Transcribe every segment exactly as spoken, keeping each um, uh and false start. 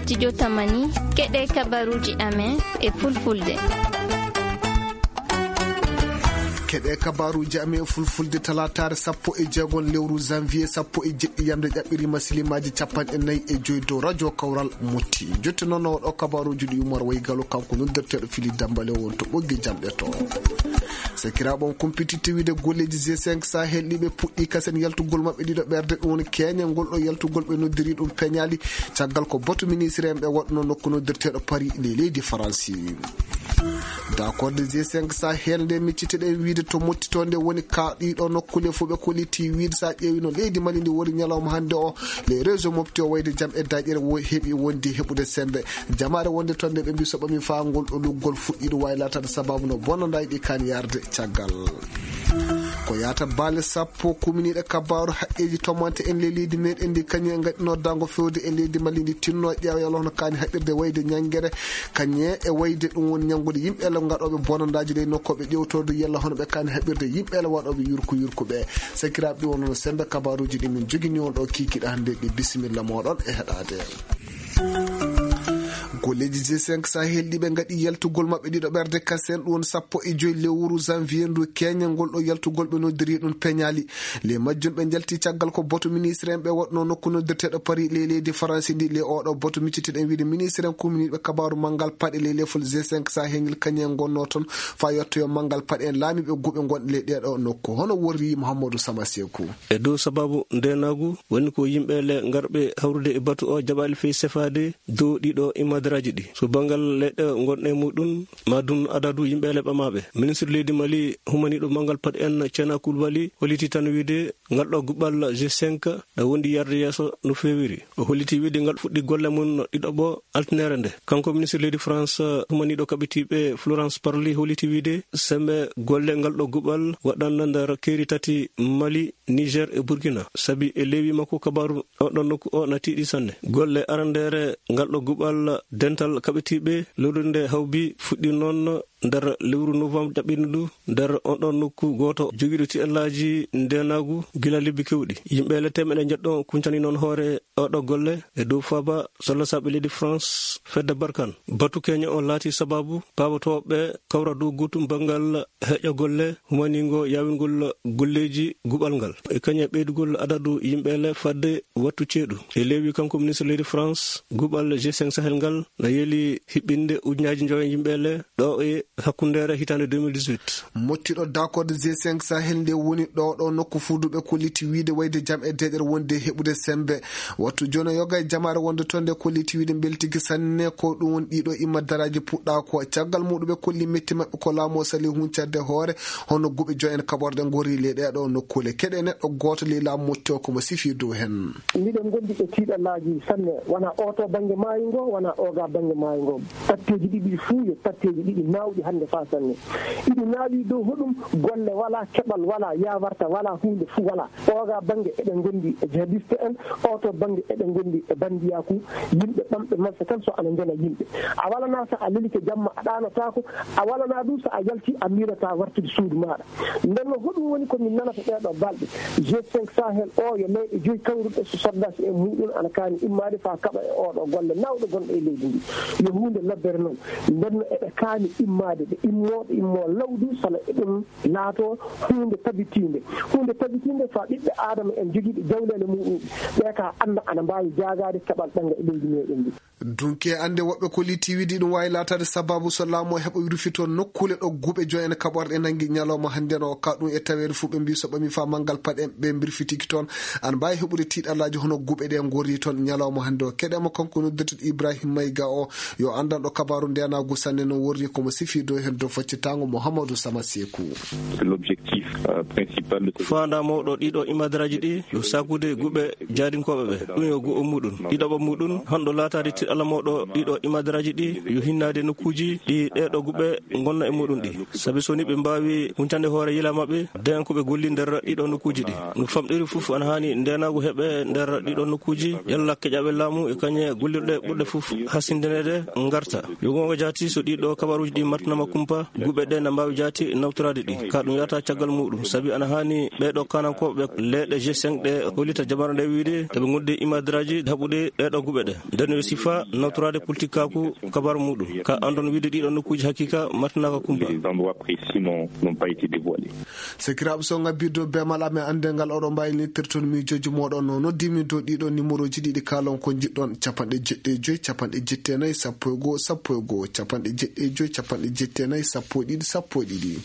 Studio Tamani, keɗe kabaruji amen e fulfulde. Keɗe kabaruji amen e fulfulde, talataare sappo e jeegon lewru janvier sappo e jeɗɗi, yamde ƴaɓɓirima silimaaji capanɗe nayi e joyi dow radio Kawral Motti. Jotte noon, o ɗo kabaruji ɗi Umar Waygalo, kanko noddirteeɗo Fili Dambale, won to ɓoggi jamɗe to. Sakiraaɓe, on kumpititte wiide golleeji G cinq Sahel ɗi ɓe puɗɗi kasen yaltugol maɓɓe ɗiɗo ɓerde, ɗum woni keeñe ngol ɗo yaltugol ɓe noddiri ɗum peñaali, caggal ko batu ministre en ɓe waɗno nokku noddirteeɗo Paris, ley leydi Faransi. Dakorde G cinq Sahel nde micciteɗen wiide to Motti to nde woni ka ɗiɗo nokkule fof ɓe kolliti wiide, sa ƴeewi no leydi Mali ndi woni ñalawma hannde o, les réseaux mofti o wayde jam e daƴere wo heɓi wondi heɓude sembe. Jamaare wonde toon nde ɓe mbi so ɓami faa ngol ɗo luggol fuɗɗiiɗo waawi laataade sababu no bonanɗaaji ɗi kaan yarde caggal. Ko yaata baale sappo kuminiiɗe kabaaru haqqeeji tomante en ley leydi meɗen ndi, kañum en ngaɗino dango fewde e leydi Mali ndi, tinno ƴeewa yalla hono kaani haɓirde wayde ñanngere, kañum e wayde ɗum woni ñanngude yimɓe ele ngaɗooɓe bonandaaji ley nokkooɓe ƴewtorde yalla hono ɓe kaani haɓirde yimɓe ele waɗooɓe yurku yurku ɓe. Sakiraaɓe, ɗi wonno sembe kabaaruuji ɗi min jogini on ɗo kiikiiɗe hannde ɗi. Bisimilla mooɗon e heɗaade. Golleeji G cinq Sahel ɗi ɓe ngaɗi yaltugol maɓɓe ɗiɗo ɓerde kasen, ɗum woni sappo e joyi lewru janvier ndu, keeñe ngol ɗo yaltugol ɓe noddiri ɗum peñaali. Le majjum ɓe njalti caggal ko boto ministre en ɓe waɗno nokku noddirteeɗo Paris ley leydi Faransi ndi. Le oɗo boto miccitiɗen wiide ministre en kuminiiɓe kabaaru manngal paɗe ley lefol G cinq Sahel ngel, kañum en ngonno toon faa yettoyo manngal paɗe en laamiiɓe guɓe ngonɗe ley ɗeeɗo nokku. Hono worri Mouhamadou Sama Sekou. E dow sababu ndeenaagu woni ko yimɓe le ngarɓe hawrude e batu o jaɓaali fey sefaade dow ɗiɗo imadaraaji ɗi. So banngal leyɗe ngonɗe muɗum, ma dun adadu yimɓe le ɓamaaɓe. Ministre leydi Mali humaniiɗo manngal paɗe en Ceena Koulibaly holliti tan wiide ngal ɗo guɓal G cinq ɗa wondi yarde yeeso no feewiri. O holliti wiide ngal fuɗɗi golle mum ɗiɗo ɓo altinere nde. Kanko ministre leydi France humaniiɗo kaɓitiiɓe Florence Parly holliti wiide sembe golle ngal ɗo guɓal waɗanna nder keeri tati Mali, Niger e Burkina, sabi e leewi makko kabaaru o ɗon nokku o na tiiɗi sanne. Golle arandeere ngal ɗo guɓal dental kaɓitiiɓe lorrinde hawbi fuɗɗi noon nder lewru novembre jaɓɓiiɗo ndu nder on ɗon nokku gooto jogiiɗo tiɗallaaji ndeenaagu gila lebbi keewɗi. Yimɓe le teemeɗe njeɗɗo kuncani noon hoore o ɗo golle e dow faaba sollasaaɓe leydi France fedde Barkan. Batu keño o laati sababu paabotooɓe kawra dow gootum banngal heƴa golle humaniingo yaawingol golleeji guɓal ngal. E kañe ɓeydugol adadu yimɓe le fadde wattu ceeɗu. E leewi kanko ministre leydi France, guɓal G cinq Sahel ngal na yeeli hiɓɓinde ujunnaaji njoyo yimɓe le ɗo e hakkundeere hitaande deux mille dix-huit. Mottiɗo dakorde G cinq Sahel nde woni ɗo ɗo nokku fuuduɓe kolliti wiide wayde jam e deeƴere wonde heɓude sembe. Wattu jono yoga e jamaare wonde toon nde kolliti wiide mbeltigi sanne ko ɗum woni ɗiɗo imma daraaji puɗɗa ko caggal muɗuɓe kolli metti maɓɓe ko laamu o sali huncande hoore hono guɓe joyen kaɓorɗe ngorri ley ɗeɗo nokkule. Keɗe neɗɗo gooto ley laamu motti o ko mo sifi dow hen. Miɗen gondi e tiiɗallaaji sanne, wona oo to bannge maayo ngo, wona ooga bannge maayo ngo. Patteeji ɗiɗi fuu yo patteeji ɗiɗi naawɗi hannde faa sanne. Iɗi naawi dow hoɗum? Golle walaa, keɓal walaa, yaawarta walaa, huunde fuu walaa. Ooga bannge eɗen ngondi e jihadiste en, oo to bannge eɗen ngondi e banndiyaaku, yimɓe ɓamɓe malsa tan so ana njona yimɓe. A walanaa so a lelike jamma a ɗaanotaako, a walanaa ɗum so a yalti a miilataa wartude suudu maaɗa. Nden no hoɗum woni ko min nanata ɗee ɗoo balɗe? G cinq Sahel o yo leyɗe joyi kawruɗe so soldasi en muɗum ana kaani immaade faa kaɓa e oo ɗoo golle nawɗe gonɗe e leydi ndi. Yo huunde lobbere noon. Nden no eɓe kaani immaade, ɓe immoo, ɓe immoo lawdu sala eɗum laato huunde tabitiinde. Huunde tabitiinde faa ɓiɓɓe Aadama en jogiiɓe jawleele muɗum ɓe ka annda ana mbaawi jaagaade keɓal ɓannga e leydi meɗen ndi. Dunke annde woɓɓe ko liti wiɗi ɗum waawi laataade sababu so laamu o heɓa rufito nokkule ɗo guɓe joyen kaɓorɗe nangi ñalawma hannde no ka ɗum e taweede fuu ɓe mbi so ɓami faa manngal paɗe ɓe mbirfitiki toon. An mbaawi heɓude tiiɗallaaji hono guɓe ɗe ngorri toon ñalawma hannde o. Keɗe mo kanko noddirteɗo Ibrahim Mayga o yo anndanɗo kabaaru ndenaagu sanne no worri ko mo sifi dow heen dow faccitaango Mouhamadou Sama Sekou. L'objectif, euh, principal de faanda mawɗo ɗiɗo imadaraaji ɗi yo saakude guɓe jaadinkooɓe ɓe. Ɗum yo gu'o muɗum. Ɗiɗaɓo muɗum, honɗo laataade tiɗalla mawɗo ɗiɗo imadaraaji ɗi yo hinnaade nokkuuji ɗi ɗeeɗo guɓe ngonna e muɗum ɗi. Sabi so ni ɓe mbaawi huncande hoore yila maɓɓe, dayan ko ɓe golli nder ɗiɗo nokkuuji ɗi. No famɗiri fof ana haani ndenaagu heɓe nder ɗiɗo nokkuuji, yalla keƴaɓe laamu e kañe gollirɗe ɓurɗe fof hasindineede ngarta. Yo goonga jaati so ɗiɗo kabaruuji ɗi marti nama kumpa, guɓe ɗe na mbaawi jaati nawtoraade ɗi. Ka ɗum yahata caggal muɗum, sabi ana haani ɓee ɗoo kaanankooɓe leeɗe G cinq ɗe hollita jamara nde wiide eɓe ngondi imadiraaji haɓude ɗee ɗoo guɓe ɗe. Nden yo sifa nawtoraade politikaaku kabaaru muɗum. Ka anndon wiide ɗiɗo nokkuuji hakiika martinaaka kumpa. Les endroits précis n'ont, n'ont pas été dévoilés. Sekiraaɓe, so ngabbiddo be mal amen annde ngal oɗon mbaawi nittirton miijooji mooɗon no. Noddimi dow ɗiɗo numéroji ɗiɗi kaalon ko njiɗɗon: capanɗe jeɗɗi e joy, capanɗe jeɗɗi e nayi, sappo e goo, sappo e goo, capanɗe jeɗɗi e joy, capanɗe jeɗɗi e nayi, sappo e ɗiɗi, sappo e ɗiɗi.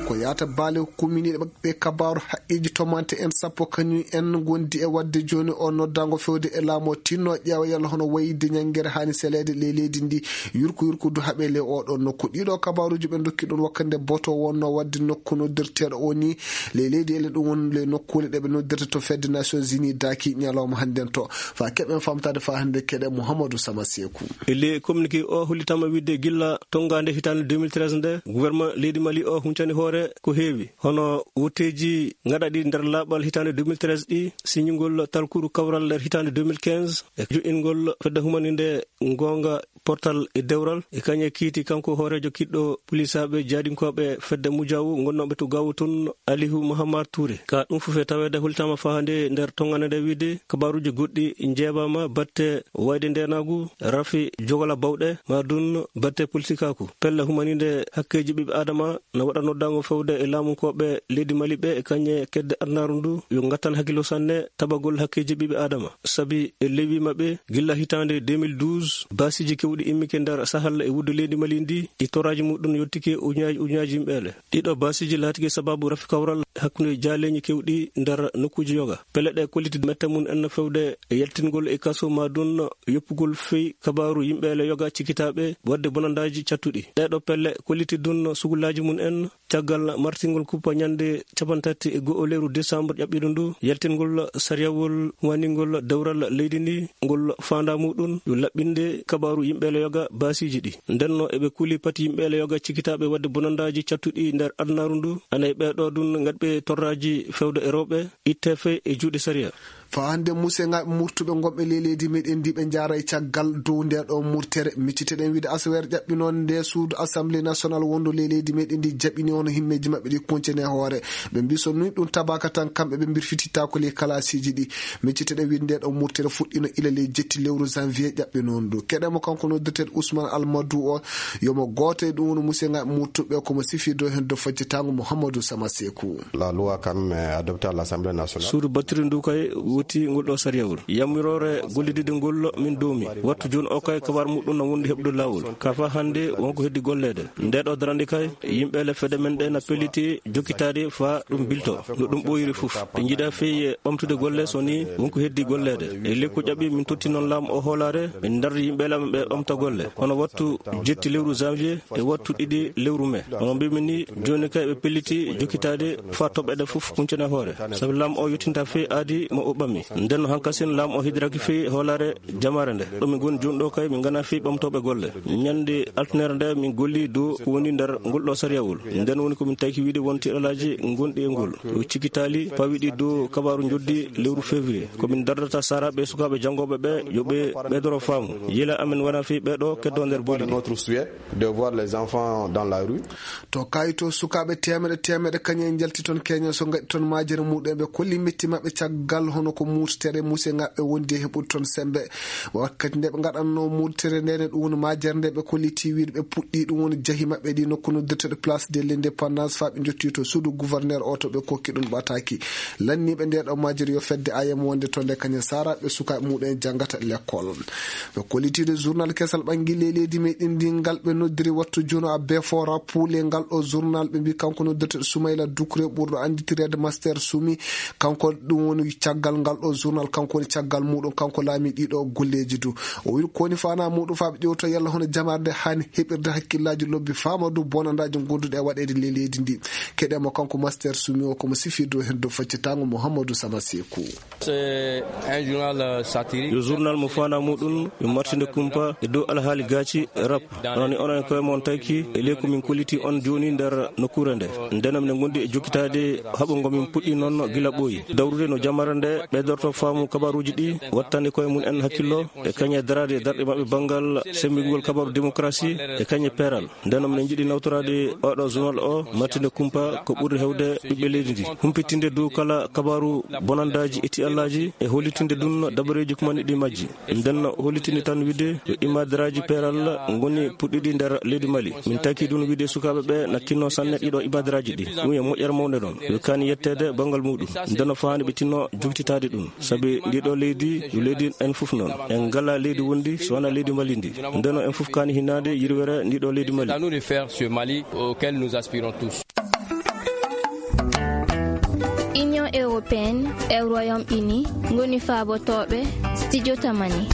Ko yaata baale kumminiiɗe ɓe kabaaru haqqeeji tomante en sappo kañum en ngondi e waɗde jooni o noddaango fewde e laamu o tinno ƴeewa yalla hono wayde ñanngere haani seleede ley leydi ndi yurko yurko du haɓe ley oɗon nokku. Ɗiɗo kabaaruji ɓe ndokki ɗon wakkande boto wonno waɗde nokku noddirteeɗo o ni ley leydi ele ɗum woni ley nokkuule ɗe ɓe noddirta to fedde Nations Unies daaki ñalawma hannden to. Fa keɓen famtaade fa hannde keɗe Mouhamadou Sama Seeku. E ley communiqué o hollitama wiide gilla tongaande hitaande deux mille treize nde, gouvernement leydi Mali o huncani hoore ko heewi. Hono wotteeji ngaɗaɗi nder laaɓal hitaande deux mille treize ɗi, siñingol talkuru kawral nder hitaande deux mille quinze, e jo'ingol fedde humaninde goonga portal e dewral, e kañe kiiti kanko hooreejo kiɗɗo pulisaaɓe jaadinkooɓe fedde Mujaawu ngonnooɓe to Gaawu tun, Alihu Mahamar Tuure. Ka ɗum fof e taweede hultama fahande nder tongane nde wiide kabaaruji goɗɗi njeebaama batte wayde ndeenaagu, rafi jogola bawɗe, ma dun batte politikaaku. Pelle humaninde hakkeeji ɓiɓɓe Adama na waɗa noddaango fewde e laamunkooɓe leydi Mali ɓe e kañe kedde adunaaru ndu yo ngattan hakkilo sanne tabagol hakkeeji ɓiɓɓe Adama. Sabi e lewi maɓɓe gilla hitaande deux mille douze, baasiiji kewɗi immike nder Sahel e wuddu leydi Mali ndi, ɗi toraaji muɗum yottike ujunnaaji ujunnaaji yimɓeele. Ɗiɗo baasiiji laatike sababu rafi kawral hakkunde jaaleeñi kewɗi nder nokkuuji yoga. Pelle ɗe kolliti mette mum en fewde e yaltingol e kaso ma dun yoppugol fey kabaaru yimɓeele yoga cikitaaɓe waɗde bonandaaji cattuɗi. Ɗeɗo pelle kolliti dun sugulaaji mum en caggal martingol kuppa ñande capantati e go'o lewru décembre ƴaɓɓiɗo ndu, yaltingol sariyawol waningol dewral leydi ndi, ngol faanda muɗum yo laɓɓinde kabaaru yimɓeele yoga baasiiji ɗi. Ndenno eɓe kuli pati yimɓeele yoga cikitaaɓe waɗde bonandaaji cattuɗi nder adunaaru ndu, ana e ɓeɗo dun ngaɗɓe torraaji fewde e rewɓe, itte fey e juuɗe sariya. Fa hannde musengaɓe murtuɓe gonɓe ley leydi meɗen ndi ɓe njaara e caggal dow nde ɗo murtere. Micciteɗen wiide asaweere ƴaɓɓinoon nde suudu Assemblée nationale wondu ley leydi meɗen ndi jaɓini hono himmeeji maɓɓe ɗi kuncene hoore. Ɓe mbi so ni ɗum tabaka tan kamɓe ɓe mbirfitittaako ley kalaasiiji ɗi. Micciteɗen wiide nde ɗo murtere fuɗɗino ila ley jetti lewru janvier ƴaɓɓinoon ndu. Keɗemo kanko noddirteɗo Ousmane Almadou o, yomo gooto e ɗum woni musengaɓe murtuɓe komo sifi dow heen dow faccitango Mouhamadou Sama Sekou. La loi quand même adoptée à l'Assemblée nationale. Suudu battiri ndu kay woti ngol ɗo sariyawol. Yamiroore gollidiɗe ngol min doomi. Wattu jooni o kay kabar muɗum na wondi heɓde laawol. Ka fa hannde wonko heddi golleede. Nde ɗo darande kay, yimɓe le fedde men ɗe na pelliti jokkitaade fa ɗum bilto. No ɗum ɓooyiri fof. Ɓe njiɗa fey ɓamtude golle so ni wonko heddi golleede. E ley ko ƴaɓi min totti noon laamu o hoolaare, min dardi yimɓe laamu ɓe ɓamta golle. Hono wattu jetti lewru janvier, e wattu ɗiɗi lewru mai. Hono mbimi ni, jooni kay ɓe pelliti jokkitaade fa toɓɓeɗe fof huncene hoore. Sabi laamu o yottinta fey aadi mo o ɓami. Nden no hankasin laamu o hidiraki fey hoolaare jamaare nde. Ɗo min ngoni jooni ɗo kay min ngana fey ɓamtooɓe golle. Ñande altine nde min golli dow ko woni nder ngol ɗo sariyawol. Nden woni ko min taki wiide won tiɗalaaji gonɗi e ngol. Ko cikitaali pawiɗi dow kabaaru njoddi lewru février. Ko min dardata saaraaɓe e sukaaɓe janngooɓe ɓe yo ɓe ɓeydoro faamu. Yila amen wona fey ɓe ɗo keddo nder boli ɗi. Notre souhait de voir les enfants dans la rue. To kayito sukaaɓe teemeɗe teemeɗe kañum en njalti toon Kenya so ngaɗi toon majere muɗum ɓe kolli metti maɓɓe caggal hono ko murtere musengaɓe wondi e heɓude toon sembe. Wakkati nde ɓe ngaɗanno murtere nde ne ɗum woni majere nde ɓe kolliti wiide ɓe puɗɗi ɗum woni jahi maɓɓe ɗi nokku noddirteɗo Place de l'Indépendance fa ɓe jotti to suudu gouverneur o to ɓe kokki ɗum ɓataki. Lanniiɓe nde ɗo majjiri yo fedde A M wonde to nde kañum saraɓe sukaaɓe muɗum en janngata lekkol. Ɓe kollitiiɗo journal kesal ɓanngille e leydi meɗen ndi ngal ɓe noddiri wattu jono a befo rappule ngal ɗo journal ɓe mbi kanko noddirteɗo Soumaïla Doucouré ɓurɗo annditireede Master Soumi. Kanko ɗum woni caggal ngal ɗo journal, kanko woni caggal muɗum, kanko laami ɗiɗo golleeji du. O wi ko woni fana muɗum fa ɓe ƴewto yalla hono jamaare nde hani heɓirde hakkillaaji lobbi fama dow bonandaaji gonduɗi e waɗeede ley leydi ndi. Keɗemo kanko Master Soumi o komo sifi dow heen dow faccitango Mouhamadou Sama Sekou. C'est un journal, euh, satirique. Yo journal mo fana muɗum yo martinde kumpa e dow alhaali gaaci rap. Onon e onon e koye mon tawki e ley ko min kolliti on jooni nder nokkuure nde. Ndeno minen ngondi e jokkitaade haɓo ngo min puɗɗi noon gila ɓooyi. Dawrude no jamare nde ɓeydorto faamu kabaruuji ɗi, wattani koye mum en hakkillo e kañe daraade darɗe maɓɓe banngal semmbingol kabaru démocratie e kañe peeral. Nden minen njiɗi nawtoraade oɗo journal o, martinde kumpa ko ɓuri hewde ɓiɓɓe leydi ndi, humpitinde dow kala kabaru bonandaaji e tiyallaji e hollitinde ɗum dabareeji kumani ɗi majji. Nden hollitinde tan wiide yo imadaraaji peeral ngoni puɗɗiɗi nder leydi Mali. Min taki ɗum wiide sukaaɓe ɓe na kinno sanne ɗiɗo imadaraaji ɗi. Ɗum e moƴƴere mawnde noon. Yo kaani yetteede banngal muɗum. Nden faani ɓe tinno jogtitaade ɗum. Sabi ndiɗo leydi, yo leydi en fof noon. En ngala leydi wondi, so wona leydi Mali ndi. Nden en fof kaani hinnaade yirwere ndiɗo leydi Mali. C'est à nous de faire ce Mali auquel nous aspirons tous. Union européenne e Royaume-Uni ngoni faabotooɓe studio Tamani.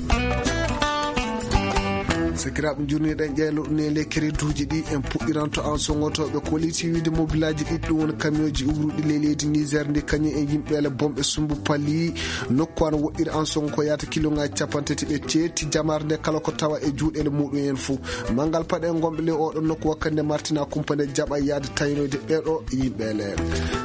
Sakiraaɓe, njurniiɗen ƴeelo ɗum e ley kereduuji ɗi en puɗɗiranto an songotooɓe koliti wiide mobilaaji ɗiɗi ɗum woni kamiyooji uwruɗi ley leydi Niger ndi kañum e yimɓeele bomɓe sumbu pali nokku an woɗɗiri an songo ko yaata kiloŋaaji capanɗe tati ɓe ceetti jamaare nde kala ko tawa e juuɗeele muɗum en fo. Manngal paɗe ngonɓe ley oɗon nokku wakkande martina kumpa nde jaɓa yaade tawinoyde ɓeeɗo yimɓeele.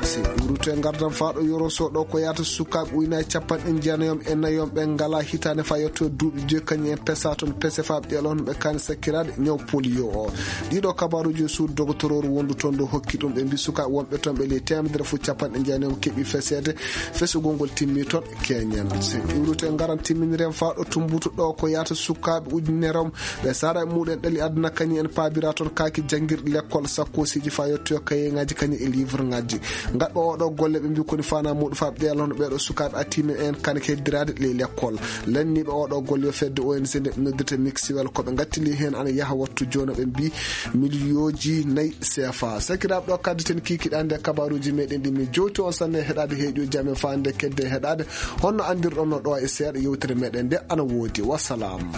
Si ɓurute ngardan faaɗo yoroso ɗo ko yaata sukaaɓe ujunaaji capanɗe jeenayom e nayom ɓe ngala hitaande fa yetto duuɓi joyi kañum en pesa toon pese faaɓe ɗeɗon ɓe kaani sakkiraade ñaw polio o. Ɗiɗo kabaruuji suudu dogotororu wondu toon ɗo hokki ɗum ɓe mbi sukaaɓe wonɓe toon ɓe ley teemedere fof capanɗe jeenayom keɓi feseede. Fesugol ngol timmi toon keñen. Si ɓurute ngaran timminiren faaɗo tumbutu ɗo ko yaata sukaaɓe ujunere on ɓe sara e muɗen ɗali aduna kañum en paabira toon kaaki janngirɗi lekkol sakkoosiji fa yettoyo kayeŋaaji kañum e livreŋaaji. Ngaɗɓe oɗo golle ɓe mbi koni fana muɗum fa ɓeelono ɓeeɗo sukaaɓe atimen en kane keddiraade ley lekkol. Lanniiɓe oɗo golle yo fedde O N G nde ɓe noddirta Mixiwel ko ɓe ngattili heen ana yaha wattu jooni ɓe mbi miliyooji nayi C F A. Sakiraaɓe, ɗo kadditen kiikiɗe hannde kabaruuji meɗen ɗi min jowti on sanne heɗaade heeƴo jam e faande kedde heɗaade honno anndirɗon no ɗo e seeɗa yewtere meɗen nde ana woodi. Wassalam.